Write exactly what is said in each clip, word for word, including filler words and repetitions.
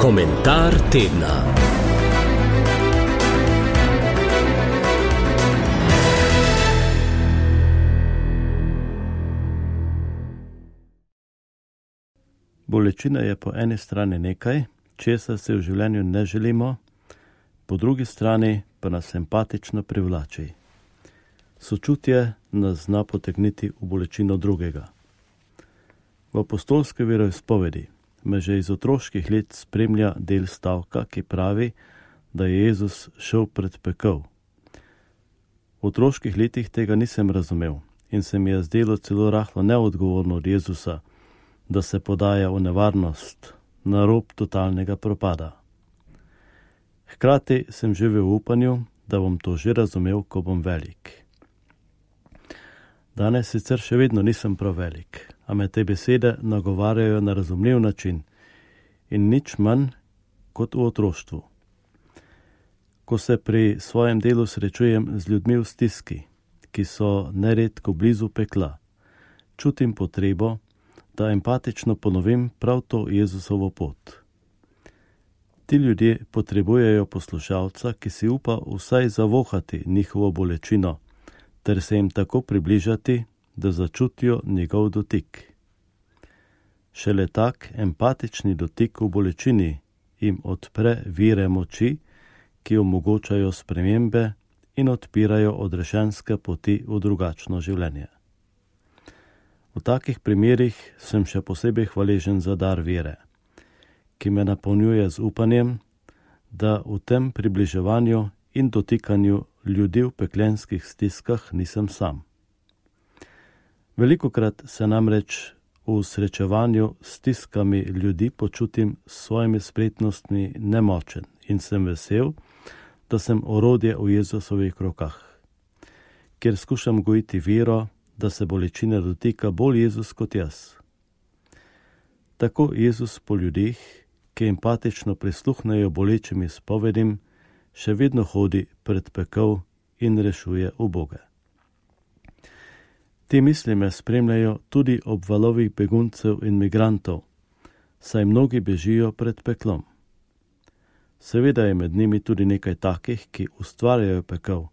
Komentar tedna. Bolečina je po eni strani nekaj, česar se v življenju ne želimo, po drugi strani pa nas empatično privlači. Sočutje nas zna potegniti v bolečino drugega. V apostolski veroizpovedi me že iz otroških let spremlja del stavka, ki pravi, da je Jezus šel pred pekel. V otroških letih tega nisem razumel in se mi je zdelo celo rahlo neodgovorno od Jezusa, da se podaja v nevarnost, na rob totalnega propada. Hkrati sem živel v upanju, da bom to že razumel, ko bom velik. Danes sicer še vedno nisem prav velik, a me te besede nagovarjajo na razumljiv način in nič manj kot v otroštvu. Ko se pri svojem delu srečujem z ljudmi v stiski, ki so neredko blizu pekla, čutim potrebo, da empatično ponovim prav to Jezusovo pot. Ti ljudje potrebujejo poslušalca, ki si upa vsaj zavohati njihovo bolečino, ter se jim tako približati, da začutijo njegov dotik. Šele tak empatični dotik v bolečini jim odpre vire moči, ki omogočajo spremembe in odpirajo odrešenske poti v drugačno življenje. V takih primerih sem še posebej hvaležen za dar vere, ki me napolnjuje z upanjem, da v tem približevanju in dotikanju ljudi v peklenskih stiskah nisem sam. Velikokrat se namreč v srečevanju s stiskami ljudi počutim s svojimi spretnostmi nemočen in sem vesel, da sem orodje v Jezusovih rokah, kjer skušam gojiti vero, da se bolečina dotika bolj Jezus kot jaz. Tako Jezus po ljudeh, ki empatično prisluhnejo bolečim izpovedim, še vedno hodi pred pekel in rešuje uboge. Te misli me spremljajo tudi ob valovih beguncev in migrantov, saj mnogi bežijo pred peklom. Seveda je med njimi tudi nekaj takih, ki ustvarjajo pekel,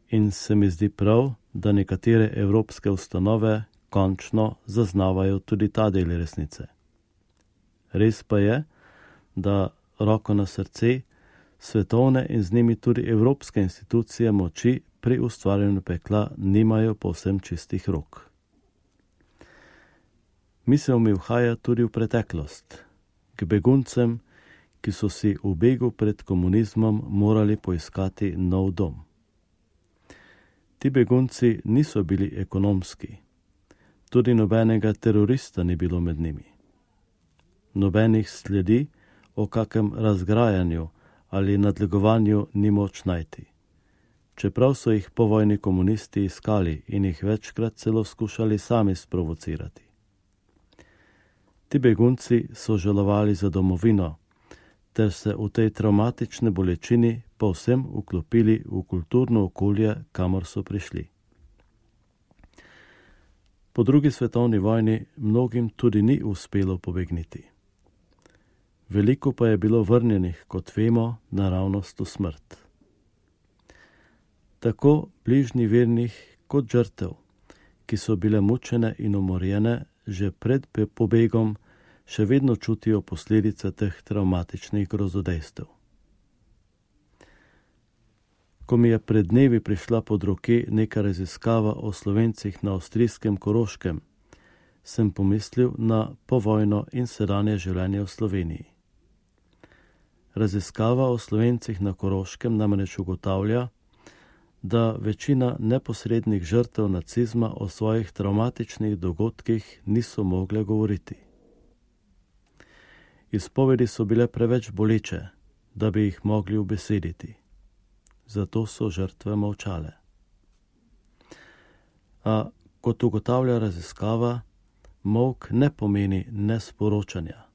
in se mi zdi prav, da nekatere evropske ustanove končno zaznavajo tudi ta del resnice. Res pa je, da roko na srce, svetovne in z njimi tudi evropske institucije moči pri ustvarjanju pekla nimajo povsem čistih rok. Misel mi uhaja tudi v preteklost, k beguncem, ki so si v begu pred komunizmom morali poiskati nov dom. Ti begunci niso bili ekonomski, tudi nobenega terorista ni bilo med njimi. Nobenih sledi o kakem razgrajanju ali nadlegovanju ni moč najti, čeprav so jih povojni komunisti iskali in jih večkrat celo skušali sami sprovocirati. Ti begunci so žalovali za domovino, ter se v tej travmatični bolečini povsem vklopili v kulturno okolje, kamor so prišli. Po drugi svetovni vojni mnogim tudi ni uspelo pobegniti. Veliko pa je bilo vrnjenih, kot vemo, naravnost v smrt. Tako bližnji vernih kot žrtev, ki so bile mučene in umorjene že pred pobegom, še vedno čutijo posledice teh travmatičnih grozodejstev. Ko mi je pred dnevi prišla pod roke neka raziskava o Slovencih na avstrijskem Koroškem, sem pomislil na povojno in sedanje življenje v Sloveniji. Raziskava o Slovencih na Koroškem namreč ugotavlja, da večina neposrednih žrtev nacizma o svojih travmatičnih dogodkih niso mogle govoriti. Izpovedi so bile preveč boleče, da bi jih mogli ubesediti. Zato so žrtve molčale. A kot ugotavlja raziskava, molk ne pomeni nesporočanja,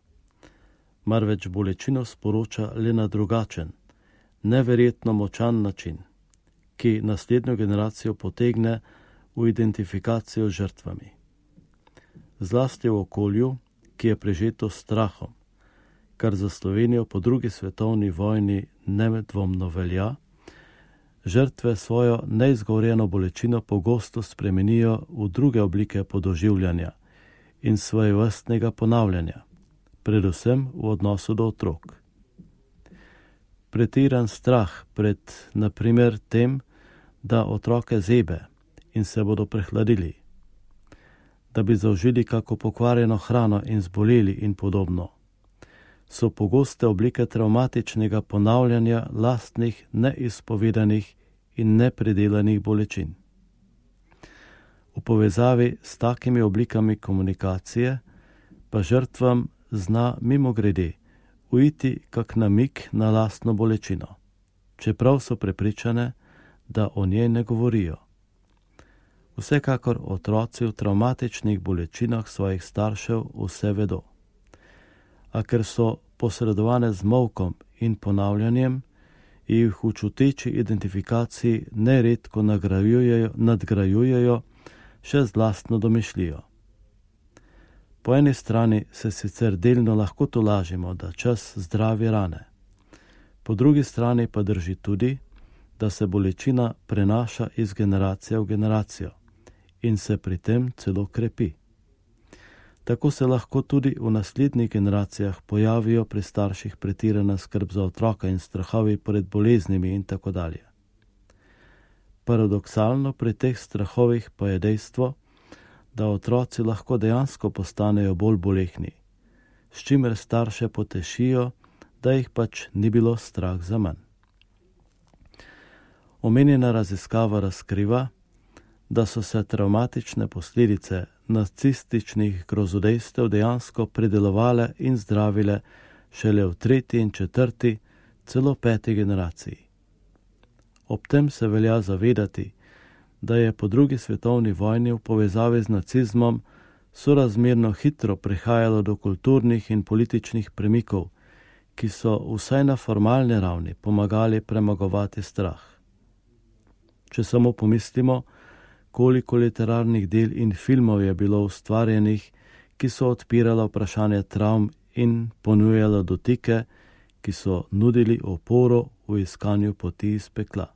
marveč bolečino sporoča le na drugačen, neverjetno močan način, ki naslednjo generacijo potegne v identifikacijo z žrtvami. Zlasti v okolju, ki je prežeto strahom, kar za Slovenijo po drugi svetovni vojni nedvomno velja, žrtve svojo neizgovorjeno bolečino pogosto spremenijo v druge oblike podoživljanja in svojevrstnega ponavljanja, predvsem v odnosu do otrok. Pretiran strah pred, na primer, tem, da otroke zebe in se bodo prehladili, da bi zaužili kako pokvarjeno hrano in zboleli in podobno, so pogoste oblike travmatičnega ponavljanja lastnih neizpovedanih in nepredelanih bolečin. V povezavi s takimi oblikami komunikacije pa žrtvam zna mimogrede uiti kak namig na lastno bolečino, čeprav so prepričane, da o njej ne govorijo. Vsekakor otroci v travmatičnih bolečinah svojih staršev vse vedo. A ker so posredovane z molkom in ponavljanjem, jih v čuteči identifikaciji neredko nagrajujejo, nadgrajujejo še z lastno domišljijo. Po eni strani se sicer delno lahko tolažimo, da čas zdravi rane. Po drugi strani pa drži tudi, da se bolečina prenaša iz generacije v generacijo in se pri tem celo krepi. Tako se lahko tudi v naslednjih generacijah pojavijo pri starših pretirana skrb za otroka in strahovi pred boleznimi in tako dalje. Paradoksalno pri teh strahovih pa je dejstvo, da otroci lahko dejansko postanejo bolj bolehni, s čimer starše potešijo, da jih pač ni bilo strah za manj. Omenjena raziskava razkriva, da so se travmatične posledice nacističnih grozodejstev dejansko predelovale in zdravile šele v tretji in četrti, celo peti generaciji. Ob tem se velja zavedati, da je po drugi svetovni vojni v povezavi z nacizmom sorazmerno hitro prihajalo do kulturnih in političnih premikov, ki so vsaj na formalni ravni pomagali premagovati strah. Če samo pomislimo, koliko literarnih del in filmov je bilo ustvarjenih, ki so odpirala vprašanje travm in ponujala dotike, ki so nudili oporo v iskanju poti iz pekla.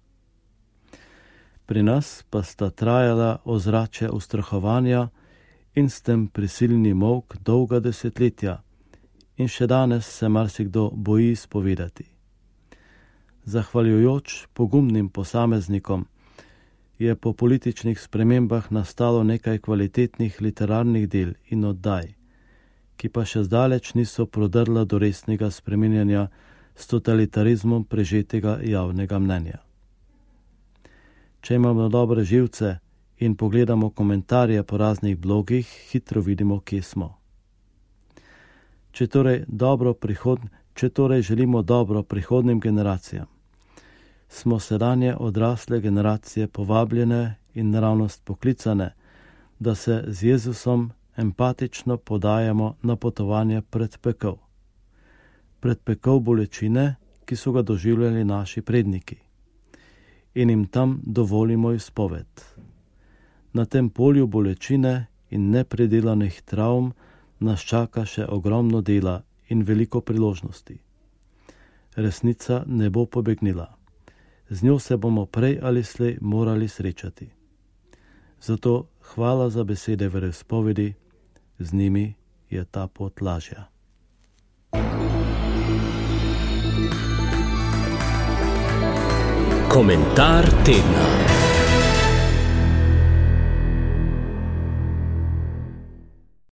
Pri nas pa sta trajala ozračje ustrahovanja in s tem prisilni molk dolga desetletja in še danes se marsikdo boji spovedati. Zahvaljujoč pogumnim posameznikom je po političnih spremembah nastalo nekaj kvalitetnih literarnih del in oddaj, ki pa še zdaleč niso prodrla do resnega spreminjanja s totalitarizmom prežetega javnega mnenja. Če imamo dobre živce in pogledamo komentarje po raznih blogih, hitro vidimo, kje smo. Če torej, dobro prihod... Če torej želimo dobro prihodnim generacijam, smo sedanje odrasle generacije povabljene in naravnost poklicane, da se z Jezusom empatično podajamo na potovanje pred pekel. Pred pekel bolečine, ki so ga doživljali naši predniki, in jim tam dovolimo izpoved. Na tem polju bolečine in nepredelanih travm nas čaka še ogromno dela in veliko priložnosti. Resnica ne bo pobegnila. Z njo se bomo prej ali slej morali srečati. Zato hvala za besede veroizpovedi, z njimi je ta pot lažja. Komentar tedna.